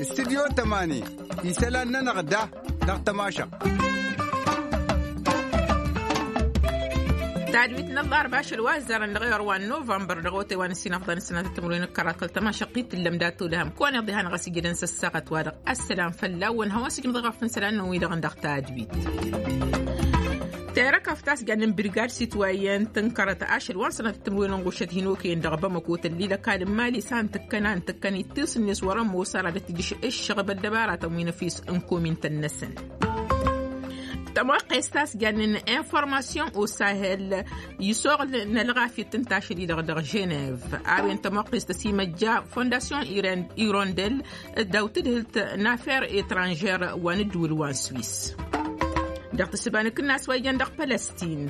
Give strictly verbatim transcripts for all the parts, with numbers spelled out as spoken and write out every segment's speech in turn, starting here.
Studyo tămani isălan-nănăɣ da dăɣ-tămašăɣt. Tadwit n-ăllarba ašăl wa ăzzarăn dăɣ-ewăr wa n-novămbăr dăɣ-otay wa n-ăssinăfḍa n-ăssinăt timǝrwen d-kăraḍ kăl-tămašăɣt i-tǝllăm dat-olăhăm kăwăn-iḍihan ɣas ijădăn s-ăssaɣăt wa-dăɣ. Ăssălam fălla-wăn hawăn-sǝjnăḍ iɣăf n-isălan-nănăɣ wi-dăɣ n-dăɣ tadwit. Terăkăft a-s jannen birgad sitwayen tǝnkărăt ašăl wa n-sănăt timǝrwen n-ɣušăt hin-okăyăn dăɣ-bamăko tăllil ăkall n-mali s-a n-tǝkkăn a n-tǝkkăn ittus-net wăr-ămoos ara d-ăttijǝš ǝššăɣăb ăddăbaratăn wi n-efis n-komintăn-năsăn. Tămoqqes ta s-jannen informasiyon osahel isoɣl n-ălɣafyăt n-tašăl-i-dăɣ dăɣ-ženev. A-wen tămoqqes ta s-imăjja fondasyon irondel d-a-wa tǝdhǝlt n-afer etranžer wa n-ǝddǝwǝl wa n-swis. Dăɣ-tǝssǝba n-akǝnnas wa ijăn dăɣ-pălăstin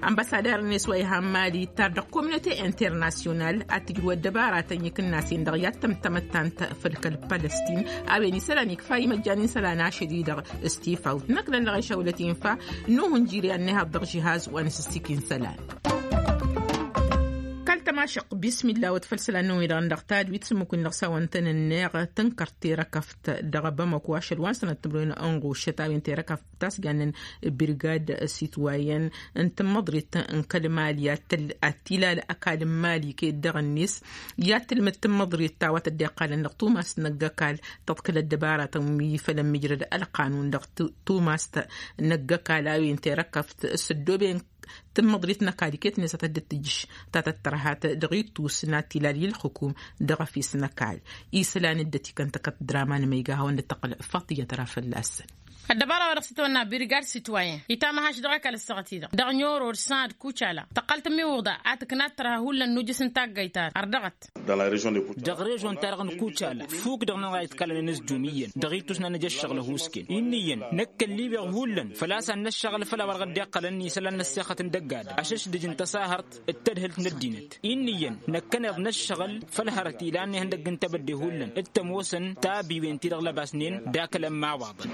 ănbăsader-net wa iha n-mali ittar dăɣ-kominote internasyonal ad-tǝjrǝw ăddăbaratăn i-akǝnnas-en-dăɣ i-ad-tăm tamăttant făll-kăl-pălăstin. A-wen isălan ikfa imăjjan n-isălan ašăl-i-dăɣ s-tifawt năkk lăllăɣ išawlăt infa n-uhǝnjir i-ad-nǝhaḍ dăɣ-žihaz wa n-asǝssik n-isălan. Kăl-tămašăq bismilla wăt făll-isălan-năwăn-i-dăɣ n-dăɣ tadwit s-ǝmmǝk-win-dăɣ s-a-wăn tăn-ǝnneɣ tǝnkăr terăkăft dăɣ-bamăko ašăl wa n-sănăt timǝrwen n-ɣušăt a-wen terăkăft ta s-jannen birgad sitwayen n-tǝmmăḍrit n-kăl-mali ad-tǝll ad-t-ilal ăkall n-mali ked-dăɣ-net i-ad-tǝlmǝd tǝmmăḍrit ta wa tăddeqqalăn dăɣ-tumast n-ăgg-ăkall tăḍkǝl ăddăbaratăn wi făll-ămmijrăd ălqanun dăɣ-tumast n-ăgg-ăkall a-wen terăkăft s-ăddooben tǝmmăḍrit n-ăkall iket-net a tădd-tǝjjǝš ta tăttărhat dăɣ-ittus n-ad-t-ilal i-ǝlxǝkum dăɣ-efis n-ăkall. Isălan dd-ătikăn tăkăt draman măyga hawăn-dd-tăqqǝl faṭiyăt ra fălla-săn. Ăddăbara wa dăɣ-s itwănna birgad sitwayen itamăhaš dăɣ-ăkall ăssaɣăt-i-dăɣ dăɣ-nyorod sănad kucala tăqqal tămiwǝḍa ad-tǝkna ad-tărha hullan n-ujǝs n-taggayt-ad-dăɣ. Dăɣ-režon-ta-dăɣ n-kucala fuk-dăɣ-nănăɣ a iḍkalăn ănǝzjum iyyăn dăɣ-ittus n-ad-nǝj ăššăɣǝl ăhuusken inn'-iyyăn năkk ăllibeɣ hullan făl-a-s ad-năššăɣǝl făll-a-wa dăɣ-dd-iqqălăn isălan n-ăssexăt n-dăgg-adǝm ašăšdǝj n-tăsahărt d-tadhǝlt n-ăddinăt. Inn'-iyyăn năkkăneḍ năššăɣǝl făll-hărăt ilan ihăndăgg n-tebădde hullan d-tămoosăn tabiwen-ti-dăɣ lăbasnen d-akǝlăn imawaḍăn.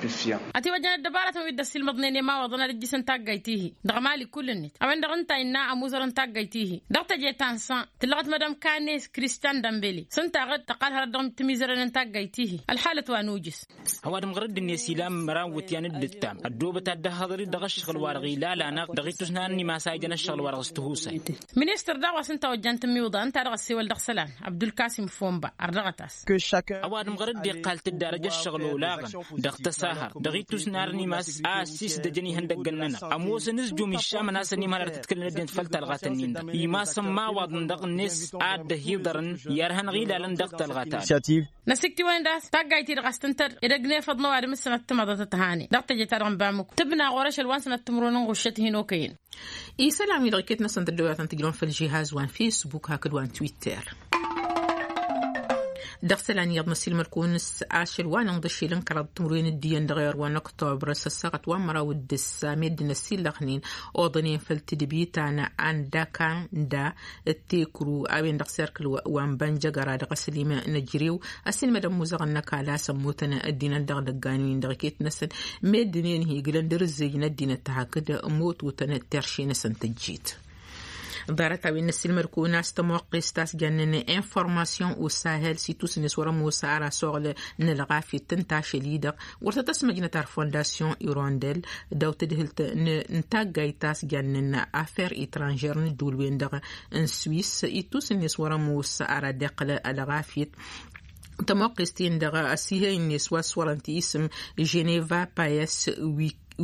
Ătiwăjjăn ăddăbaratăn wi dd-ăssiilmăḍnen i-imawaḍăn ad-ǝjjǝsăn taggayt-ihi dăɣ-mali kull-net a-wen-dăɣ ǝnta innă ămuzărăn taggayt-ihi dăɣ-teje ta n-san tǝllăɣăt mădăm kanes kristian dămbele s-ǝnta a ɣǝd tăqqal hărăt dăɣ-tǝmizărăn n-taggayt-ihi ălxalăt wa n-ujǝs. Ăwadǝm ɣur-dd-net ilan măraw n-iwǝtyan d-ǝttam ăddoobăt ad-dd-ăhhăḍăr-dd dăɣ-ǝššăɣǝl-wa-dăɣ ilalăn-aɣ dăɣ-ittus n-ad-nimas a ijăn ăššăɣǝl-wa-dăɣ s-tihusay. Ministăr daɣ wa s-ǝnta ojjan tǝmmiwǝḍa ǝnta a dăɣ-ăssewăl dăɣ-isălan abdulkasim fomba ărdăɣăt-as. Ăwadǝm ɣur-dd-iqqal tǝddarăj ăššăɣǝl olaɣăn dăɣ-tăsahărt dăɣ-ittus n-ad-nimas a ăssisdăjăn ihăndăggăn-nănăɣ ămoosăn ǝzjum iššamăn-asăn imhăl ad-tǝtkǝlăn ăddinăt făll-talɣat-ǝnnin-dăɣ imassăn imawaḍăn dăɣ-net ad-dd-ăhiḍărăn i-ad-hanăɣ-ilalăn dăɣ-talɣat-ad. Năsikt'-iwăn-dd a-s taggayt-i-dăɣ a-s tǝntăr edăgg n-efăḍ n-ăwadǝm s-sănăt timăḍăt ăthane dăɣ-teje-ta-dăɣ n-bamuk tǝbna ɣur-ašăl wa n-sănăt timǝrwen n-ɣuššăt hin-okăyăn. Isălan-wi-dăɣ iket-năsăn tăddăwăyatăn tǝjrăwăn făll-žihaz wa n-fisbuk hakd wa n-twitter. Dăɣ-isălan iyyăḍ năsilmăd-kăwăn s-ašăl wa n-inḍǝššel n-kăraḍ timǝrwen d-iyyăn dăɣ-ewăr wa n-oktobr s-ăssaɣăt wa n-măraw d-ǝssa meddǝn ăsillăxnen oḍănen făll-tǝdbi ta n-andakanda d-tekru a-wen-dăɣ serkǝl wa n-bănjăgăra dăɣ-aslim n-ejrew ăsilmădăn muzăɣăn n-ăkall a-s ămmutăn ăddinăt dăɣ-idăggan-win-dăɣ iket-năsăn meddǝn-en hi-iglăn d-arǝzzej n-ăddinăt tahăkd motutăn terše-năsăn tǝjjit. Ḍarăt-a-wen n-ăsilmăd-kăwăn a-s tămoqqest a-s jannen informasiyon osahel s-itusǝnnes wăr-ămoos ara soɣǝl n-ălɣafyăt n-tašăl-i-dăɣ wăr tăt-ăsmăjnăt ar fondasyon irondel d-a-wa tǝdhǝlt n-taggayt ta s-jannen afer etranžer n-ǝddǝwǝl-wen-dăɣ n-swis itusǝnnes wăr-ămoos ara dd-iqqăl ălɣafyăt. Tămoqqest-in-dăɣ ăsihăy-net wa s-wărăn-t isǝm ženeva payes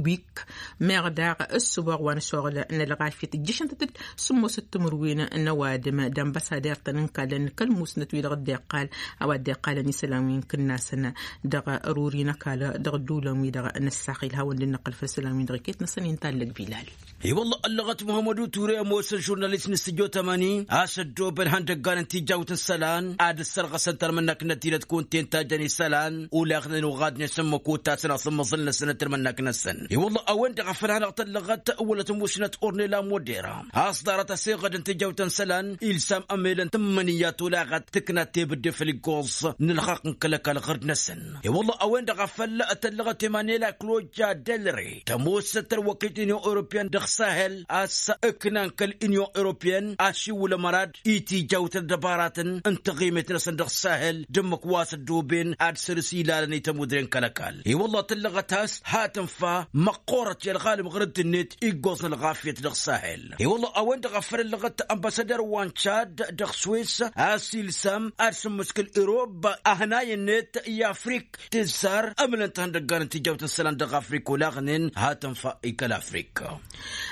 wik meɣ daɣ ǝssǝboɣ wa n-soɣǝl n-ălɣafyăt ǝjjǝšăn-tăt-dd sǝmmos d-timǝrwen n-ăwadǝm d-ănbăsader-tăn n-kallăn kăl-musnăt-wi-dăɣ dd-iqqal a-wa dd-iqqalăn isălan wi n-kǝnnasăn dăɣ-ruri n-ăkall dăɣ-ădduulăn-wi-dăɣ n-ăssaxil hawăn-dd-năqqǝl făll-isălan-wi-dăɣ iket-năsăn inta ăllăg bilal. I-wălla ăllăɣăt muhămmăd uture ămoos ăžžurnalist n-sǝjjo tămani a-s ăddoobăn ihăndăggan n-tijawt n-isălan ad-ăssărɣăsăn tărmǝnnak n-ăddinăt kunta-en tajjăn isălan olaɣnen oɣadnen s-ǝmmǝk otasăn asǝmmăẓǝl-năsăn d-tărmǝnnak-năsăn. I-wălla a-wen-dăɣ a făl hanăɣ-tăllăɣăt wăla tămusnăt ornela modera a-s ḍarăt aseɣăd n-tijawt n-isălan ilsam ămelăn tǝmmǝnǝya tolaɣăt tǝknat tebǝdde făll-iggoẓ n-ǝlxaqq n-kăl-ăkall ɣǝrd-năsăn. I-wălla a-wen-dăɣ a făl tăllăɣăt emanela kloja delre tămoosăt tărwăkit n-union europeyăn dăɣ sahel a-s ǝknan kăl-inyon europeyăn a-s iwǝlăm ărad itijawt ăddăbaratăn n-taɣimet-năsăn dăɣ-sahel d-ǝmmǝk wa s-ăddooben ad-săr-s ilalăn i-tămudre n-kăl-ăkall. I-wălla tǝllăɣăt a-s hat-ǝnfa măqqoorăt i-ălɣalăm ɣur-dd-net iggoẓ n-ălɣafyăt dăɣ-sahel. I-wălla a-wen-dăɣ a făl ǝllăɣăt ănbasăder wa n-cad dăɣ-swis a-s ilsăm ad-sǝmmǝskǝl irob ahǝnay-net i-afrik tǝzzar ămǝlăn-t ihăndăggan n-tijawt n-isălan dăɣ-afrik olaɣnen hat-ǝnfa i-kăl-afrik.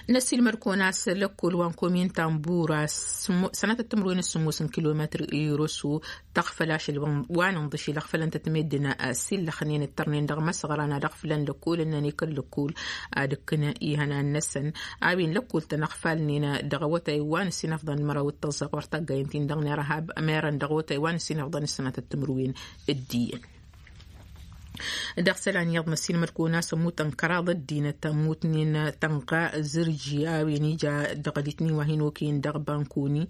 Năsilmăd-kăwăn a-s lăkkol wa n-komin tambura sănatăt timǝrwen s-sǝmmos n-kilometr i-roso tăɣfăl ašăl wa n-inḍǝšil ăɣfălăn-tăt meddǝn s-illăxnen ǝttărnen dăɣ-imăsɣăran ad-ăɣfǝlăn lăkkol ǝnnăn i-kăl-lăkkol ad-ǝkkǝn ihănan-năsăn. A-wen lăkkol-tăn ăɣfalnen dăɣ-awătay wa n-ǝssin afḍăn d-măraw d-tăẓẓa ɣur-taggaynt-in dăɣ-nerhab merăn dăɣ-awătay wa n-ǝssin afḍăn d-sănatăt timǝrwen d-iyyăn. Dăɣ-isălan iyyăḍ n-ăsinmăd-kăwăn a-s ămmutăn kăraḍ ăddinăt ămmutnen tănɣa zǝrji a-wen ija dăɣ-ălitni wa hin-okăyăn dăɣ-bankoni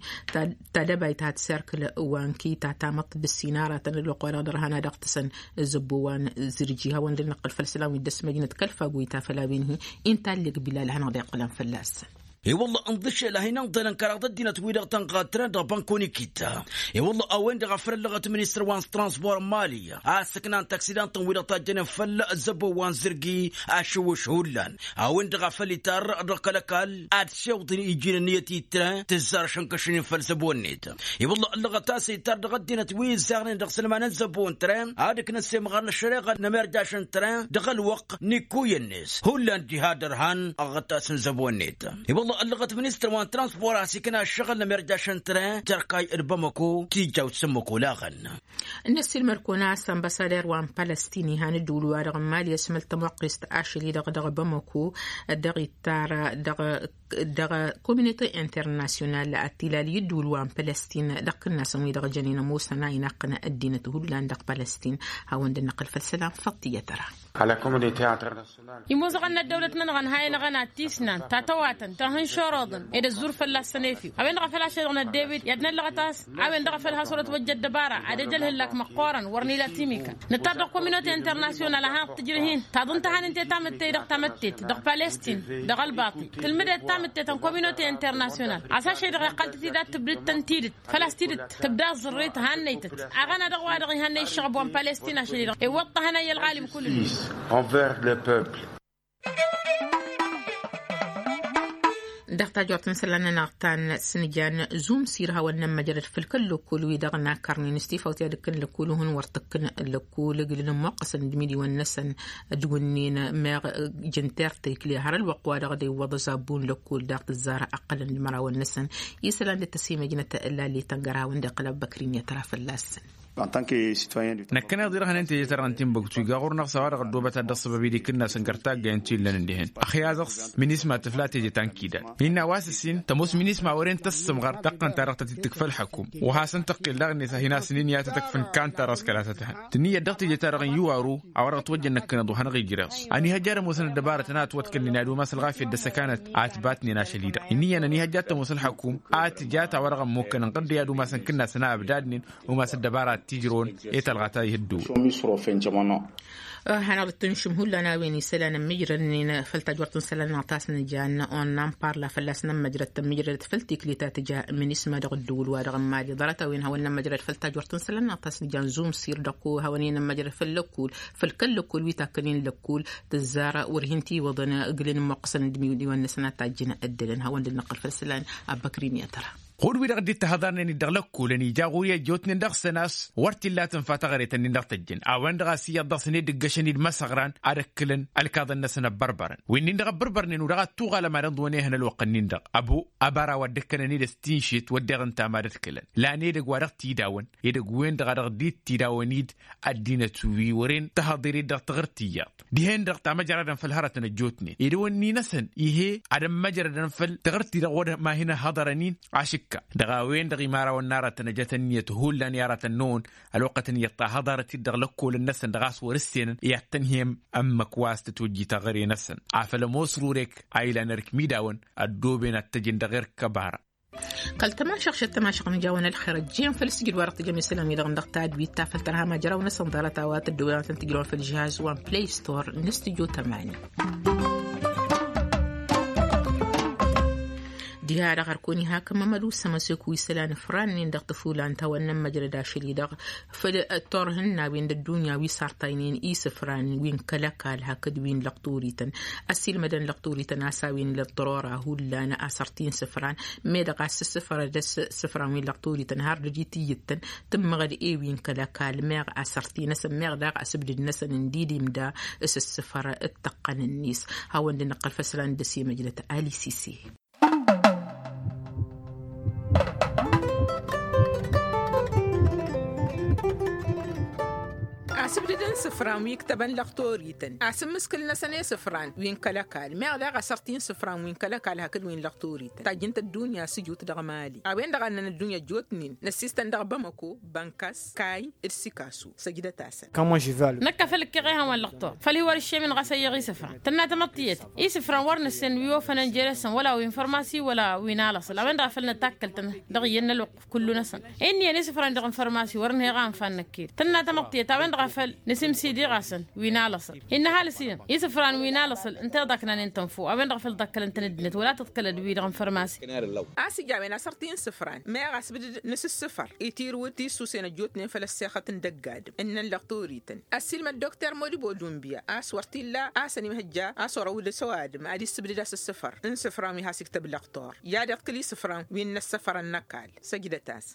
ta dăbayt hat-serkǝl wa n-kita tamăḍt bǝssin aratăn ălwăqq-wa-dăɣ dăr-hana dăɣ-tǝsăn zăbbo wa n-zǝrji hawăn-dd-năqqǝl făll-isălan wi dd-ăsmăjnăt kăl-faguyt afăl a-wen-hi. Inta ălleɣ bilal ad-hanăɣ-dd-iqqǝlăn fălla-săn. I-wălla ǝnḍǝšel a hin-ănḍălăn kăraḍ ăddinăt-wi-dăɣ tănɣa tren dăɣ-bankoni kitta. I-wălla a-wen-dăɣ a făl ăllăɣăt ministăr wa n-transpor n-mali a-s ǝknan taksidan-tăn-wi-dăɣ tajjănen făll-zăbbo wa n-zǝrgi ašǝwwǝš hullan. A-wen-dăɣ a făl itarr dăɣ-kăl-ăkall ad-sewḍǝn iji n-ǝnniyăt i-tren tǝzzar šănkăšnen făll-zăbbo-net. I-wălla ăllăɣăt a-s itarr dăɣ-ăddinăt wi ǝzzarnen dăɣ-isălman n-zăbbo n-tren ad-ǝknăn s-emɣar n-ăššăreɣa n-ămerjaš n-tren dăɣ-ălwăqq n-ikkuyăn-net hullan diha dăr-han ăɣɣăt-asăn zăbo-net. I-wălla ăllăɣăt ministăr wa n-transpor a-s ikna ăššăɣǝl n-ămerjaš n-tren jerkay d-bamăko tijawt s-ǝmmǝk olaɣăn. N-ăssiilmăr-kăwăn a-s ănbăsader wa n-palăstin ihan ǝddǝwǝl-wa-dăɣ n-mali ăsmăl tămoqqest ašăl-i-dăɣ dăɣ-bamăko dăɣ-ittar dăɣ-kominote internasyonal ad-t-ilal i-ǝddǝwǝl wa n-palăstin dăɣ-kǝnnasăn wi-dăɣ jănen ămoosăn a inaqqǝn ăddinăt hullan dăɣ-palăstin. Hawăn-dd-năqqǝl făll-isălan făṭṭiyăt ăra. Imuzăɣăn n-ăddăwlăt-nănăɣ ănhayăn aɣăna tisnan tatăwatăn tahǝnšoroḍăn ed ăzzur fălla-săn efew a-wen-dăɣ a făl ašăl dăɣ-năddewit i-ad-năllăɣăt a-s a-wen-dăɣ a făl has-wăr-ătwăjja ăddăbara ad-ej ălhǝllak măqqoorăn wăr n-ila timika. Nǝttar dăɣ-kominote internasyonal ad-hanăɣ-tǝjrǝh-in taḍǝn tăhanǝnte tamǝtte dăɣ-tamăttet dăɣ-palestin dăɣ-ălbaṭi tǝlmǝdet tamǝttet n-kominote internasyonal a-s ašăl-i-dăɣ iqqăl-tăt-dd ad-tǝbdǝd-tăn tidǝt. Făl-a-s tidǝt tǝbda ẓărret hannăy-tăt aɣăna dăɣ-wa-dăɣ ihănnăy ǝššăɣăb wa n-palestin ašăl-i-dăɣ iwwăḍ-t ahănay i-ălɣalim kull-net. Dăɣ-tajort n-isălan-nănăɣ ta n-sǝnjan zumsir hawăn-nămmăjrăd făll-kăl-lăkkol-wi-dăɣ n-akărnen s-tifawt i-ad-ǝkkǝn lăkkol-hǝn wăr t-ǝkkǝn lăkkol ǝglǝn ămmoqqăsăn d-imidǝwăn-năsăn d-wǝnnin meɣ jǝnter tekle har ălwăqq-wa-dăɣ d-iwwăḍ ăzabu n-lăkkol daɣ tǝzzar ăqqălăn d-imărawăn-năsăn. Isălan dd-tăsimăjnăt lallet ăngăr hawăn-dd-iqqǝl abbăkrin i-ad-tăra fălla-săn. Năkkăneḍ-i dăɣ-hănen teje-ta-dăɣ n-tinbăktu iga ɣur-năɣ s-a-wa-dăɣ ăddoobăt ad-dăɣ-săbăb idikǝnna s-ăngăr taggay n-ti ǝllăn ǝndehen ăxya dăɣ-s minisma tǝfla teje ta n-kidad innă a-wa s-ǝssin tămoos minisma wăren tăssǝmɣăr dăɣ-tăn-ta-dăɣ tăt-dd-tǝkfa ălxăkum wa hasăn-tăqqel daɣ-net a hin-asǝn-in i-ad-tăt-ăkfǝn kan-ta-dăɣ s-kăla tăt-hăn tǝnniyăt dăɣ-teje-ta-dăɣ n-iwaru a-wa dăɣ-ătwăjjăn năkkăneḍ wa hanăɣ-ijreẓ. Ăniihăjja ad-ămoosăn ăddăbarătăn a ătwăḍkălnen i-ad-umas ălɣafyăt d-ăssăkanăt a ătbatnen ašăl-i-dăɣ ǝnniyăn ăniihăjja ad-tămoos ălxăkum a tǝja ta-wa-dăɣ ămmukkăn ǝnɣăr d-e-ad-umasăn kǝnnasăn a ăbdadnen umas ăddăbara ad-t-ijrăwăn i-talɣa ta ih-ăddoowen. Hanăɣ-dd-tǝnšǝm hullan a-wen isălan ămmijrădnen făll-tajwărt n-isălan-năɣ ta s-nǝja n-on n-anparla fălla-s n-ămmăjrăd tămmijrădăt făll-tiklit ta tǝja minisma dăɣ-ăddǝwǝl-wa-dăɣ n-mali ḍarăt a-wen hawăn-nămmăjrăd făll-tajwărt n-isălan-năɣ ta s-nǝja n-zumsir dăɣ-ko hawăn-in-ămmăjrăd făll-lăkkul făll-kăl-lăkkul wi takkănen lăkkul tǝzzar wăr hin-tiwǝḍăn ǝglǝn ǝmmoqqăsăn d-imidǝwăn-năsăn ad-tajjǝn ăddălăn hawăn-dd-năqqǝl făll-isălan. Abbăkrin i-ad-tăra ɣur-wi-dăɣ dd-ittăhăḍarnen-dd dăɣ-lăkkolăn ija ɣur-i ăjjootnen dăɣ-săn a-s wăr t-illa tǝnfa taɣăret-ǝnnin dăɣ-tăjjăn a-wen-dăɣ a-s iyyăḍ dăɣ-săn ed ǝggăšăn-dd imăsăɣran ad-ăkkǝlăn ălkaḍăn-năsăn ăbbărbărăn wi-nin-dăɣ ăbbărbărnen u-dăɣ ad-tuɣalăm ad-ǝnḍǝwăn ehăn ălwăqq-ǝnnin-dăɣ ăbu ăbara wa dd-ăkkănăn-dd s-tinšet wădden ǝnta mad-ăḍkǝlăn lan edăgg wa dăɣ-t-idawăn edăgg-wen-dăɣ a dăɣ-dd-t-idawăn-dd ăddinăt wi wăren tăhăḍer-dd dăɣ-taɣǝrt iyyăḍ dihen-dăɣ tamăjradăn făll-hărătăn ăjjootnen ed wănni-năsăn ih'-e ad-ămmăjrădăn făll-taɣǝrt-i-dăɣ wăr ma hin-ăhhăḍărăn-in. Ašǝkka dăɣ-a-wen-dăɣ imărawăn n-aratăn ăjăt ǝnniyăt hullan i-aratăn-năwăn ălwăqqăt ǝnniyăt ta hăḍarăt-dd dăɣ-lăkkolăn-năsăn dăɣ-a-s wăr ǝssen i-ad-tăn-hem ǝmmǝk wa s-tǝtwăjji taɣăre-năsăn afăl ămoos ɣur-ek a ilan ărk imidawăn ăddooben ad-t-ăjǝn dăɣ-erk ăbara. Kăl-tămašăɣ šăt tămašăɣ n-ijawăn ălxer ăjjeen făll-sǝjǝd wa dăɣ-tǝjăm isălan-wi-dăɣ n-dăɣ tadwit ta făll-tărha majăraw-năsăn ḍarăt a-wa tăddăwăyăn ad-tăn-tǝjrăwăn făll-žihaz wa n-play store n-studio tămani. Diha-dăɣ ărkăwăn-i hak ămmămădu s-ămăsek wi isălan ifran-nin dăɣ-tăfulan ta wa n-nămmăjrăd ašăl-i-dăɣ făll-ăttorh n-a-wen d-ăddunya wi sartaynen isǝfran wi n-kăl-ăkall hakd wi n-lăqturităn. Ăssiilmădăn lăqturităn a-s a-wen ila ăḍḍărora hullan asăr ti n-isǝfran, meddăɣ a-s ǝssǝfrăd s-isǝfran wi n-lăqturităn har d-ăjit iyyǝttăn tǝmmăɣăd e-wi n-kăl-ăkall meɣ asăr ti-năsăn meɣ daɣ asǝbdǝd-năsăn n-dd-imda s-ǝssǝfăr d-tăqqăn-net. Hawăn-dd-năqqăl făll-isălan dăr-s i-măjnăt alisisi. Asǝbdǝd n-isǝfran wi ǝktăbăn lăqtorităn asǝmmǝskǝl-năsăn i-isǝfran wi n-kăl-ăkall meɣ daɣ asăr ti n-isǝfran wi n-kăl-ăkall hakd wi n-lăqtorităn tajjǝnt ăddunya s-ǝjut dăɣ-mali a-wen-dăɣ a ǝnnăn ăddunya ăjjootnen n-ăssistăn dăɣ-bamăko bănkas kay d-sikasu săjdăt-asăn. Năkk a făl ǝkkeɣ ehăn wa n-lăqtor făl hi-wăr-ǝššemen ɣas ăyyăɣ isǝfran tănna tamăḍt tiyyăt isǝfran wăr nǝssen wi ofănăn jere-săn wăla wi n-fărmasi wăla wi n-alăṣăl a-wen-dăɣ a făl nătakkăl-tăn dăɣ-iyyăn n-ălwăqq. Kullu-năsăn inniyăn isǝfran dăɣ-n fărmasi wăr nǝheɣ anfan năkked tănna tamăḍt tiyyăt a-wen-dăɣ a făl nǝsimsidǝɣ-asăn wi n-alăṣăl innă-ha lăsiyăn isǝfran wi n-alăṣăl ǝnta iḍaknanen tănfo a-wen-dăɣ a făl ḍakkălăn-tăn ăddinăt wăla tǝḍkălăd wi-dăɣ n-fărmasi. A-s ija a-wen asăr ti n-isǝfran meɣ asbǝdǝd n-asǝssǝfăr itirǝwǝd tisusen ăjjootnen făll-ăssexăt n-dăgg-adǝm ǝnnăn lăqtorităn ăssiilmăd dokter modibo dunbiya a-s wăr t-illa a-s ănimhăjja a-s orăw-dd s-ăwadǝm ad-issǝbdǝd a-s ǝssǝfăr n-isǝfran wi has-iktăb lăqtor i-ad-iḍkǝl isǝfran wi n-inăssăfărăn n-ăkall. Săjdăt-as.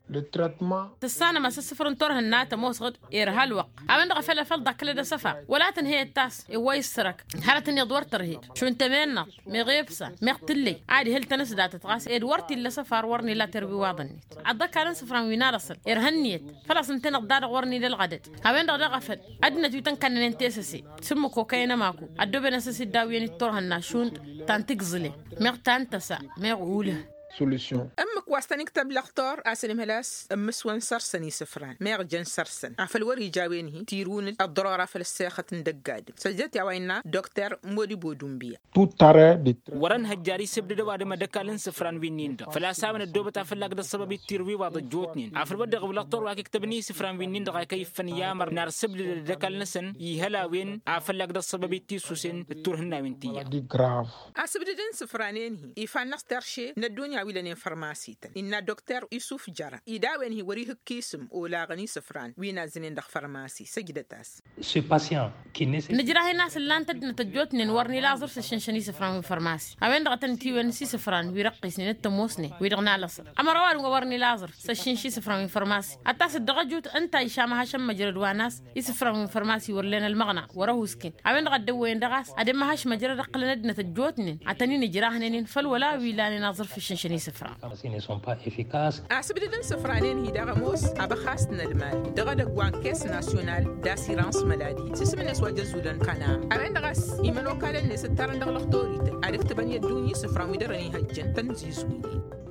Tǝssanăm a-s ǝssǝfăr n-turhǝnna tămoosăɣ-dd irha ălwăqq a-wen-dăɣ a făl a făl ḍakkălăd asăfar wăla tǝnhăyăt tas iwwăy ǝssărăk hărăt-net wăr tărhed šund tămennaḍt meɣ ebsa meɣ tǝllăy ad-ihǝl-tăn s-datăt ɣas ed wăr t-illa asăfar wăr n-ila terwiwaḍ-net. Ad-dd-ăkall n-isǝfran wi n-alăṣăl irha ǝnniyăt făl-a-s ǝntăneḍ-da-dăɣ wăr n-ila ălɣădăd. A-wen-dăɣ daɣ a făl ăddinăt wi tăn-kannănen tesăse s-ǝmmǝk okăyăn ămaku ăddooben-asăn s-dd-awǝyăn d-turhǝnna šund ta n-tigẓǝlen meɣ ta n-tăsa meɣ ulǝh. Solution. Ǝmmǝk wa s-tăn-iktăb lăqtor a-s ănimhăl a-s ǝmmǝswăn săr-săn isǝfran meɣ jăn săr-săn afăl wăr-ija a-wen-hi tirǝwǝn-dd ăḍḍărora făll-ăssexăt n-dăgg-adǝm săjdăt i-a-wa innă dokter modibo dunbiya. Wăr-ănhăjjar isǝbdǝd ăwadǝm ad-ăkall n-isǝfran wi-nin-dăɣ făl-a-s a-wen ăddoobăt afăllag d-ăṣṣăbăb ittirǝw iwaḍ ăjjootnen afăl wăr dăɣ-iwǝl ăṭṭor wa k-iktăbăn i-isǝfran wi-nin-dăɣ a kăy-iffăn i-amăr n-ar sǝbdǝdăd ad-ăkall-năsăn ihăl a-wen afăllag d-ăṣṣăbăb itisusen d-turhǝnnawen tiyyăt. Asǝbdǝd n-isǝfran-en-hi ifan n-asterše n-ăddunya wi lănen fărmasităn innă dokter isuf jăra-i d-a-wen-hi wăr-ihǝkk isǝm olaɣăn isǝfran wi n-azzǝnen dăɣ-fărmasi săjdăt-as. Nǝjrah-in a-s ǝllan-t ăddinăt ăjjootnen wăr n-ila aẓrǝf s-ǝššǝnšăn isǝfran wi n-fărmasi a-wen-dăɣ a tăn-itiwăn s-isǝfran wi răqqisnen d-tămoosnen wi-dăɣ n-alăṣăr ămăra ăwadǝm wa wăr n-ila aẓrǝf s-ǝššǝnš isǝfran wi n-fărmasi ad-t-asǝd dăɣ-ăjut ǝnta išam ăhašăn măjrăd wa n-a-s isǝfran wi n-fărmasi wăr len ălmăɣna wăr-ăhuusken a-wen-dăɣ a dd-ăwwăyăn dăɣ-a-s ad-ămmăhaš măjrăd ǝqqǝlăn ăddinăt ăjjootnen ad-tăn-in-ǝjrahnănen făll-wăla wi lanen aẓrǝf s-ǝššǝnšăn isǝfran. Asǝbdǝd n-isǝfranen-hi daɣ ămoos abăxas n-ălmal dăɣ-edăgg wa n-kes nasyonal d-asirans măladi s-isǝm-net wa jăzzulăn kăna a-wen-dăɣ a-s imănokalăn-net ǝttarăn dăɣ-lăxtorităn ad-ǝktǝbăn i-ăddunya isǝfran wi dăr-ănihăjjăn tăn-zizwinen.